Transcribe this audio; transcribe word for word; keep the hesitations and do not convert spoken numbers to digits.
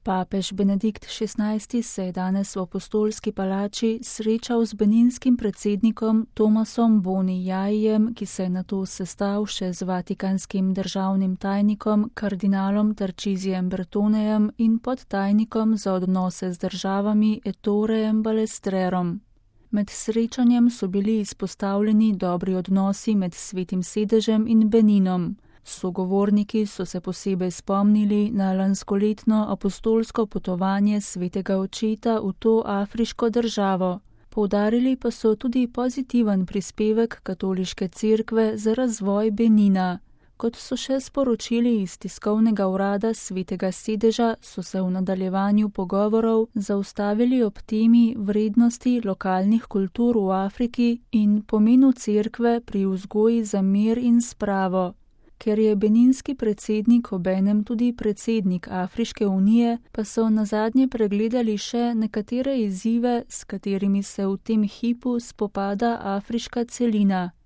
Papež Benedikt šestnajsti se je danes v Apostolski palači srečal z beninskim predsednikom Tomasom Boni Jajijem, ki se je nato sestal še z vatikanskim državnim tajnikom kardinalom Tarčizijem Bertonejem in podtajnikom za odnose z državami Ettorejem Balestrerom. Med srečanjem so bili izpostavljeni dobri odnosi med Svetim sedežem in Beninom. Sogovorniki so se posebej spomnili na lanskoletno apostolsko potovanje svetega očeta v to afriško državo. Poudarili pa so tudi pozitiven prispevek katoliške cerkve za razvoj Benina. Kot so še sporočili iz tiskovnega urada svetega sedeža, so se v nadaljevanju pogovorov zaustavili ob temi vrednosti lokalnih kultur v Afriki in pomenu cerkve pri vzgoji za mir in spravo. Ker je beninski predsednik obenem tudi predsednik Afriške unije, pa so nazadnje pregledali še nekatere izzive, s katerimi se v tem hipu spopada afriška celina.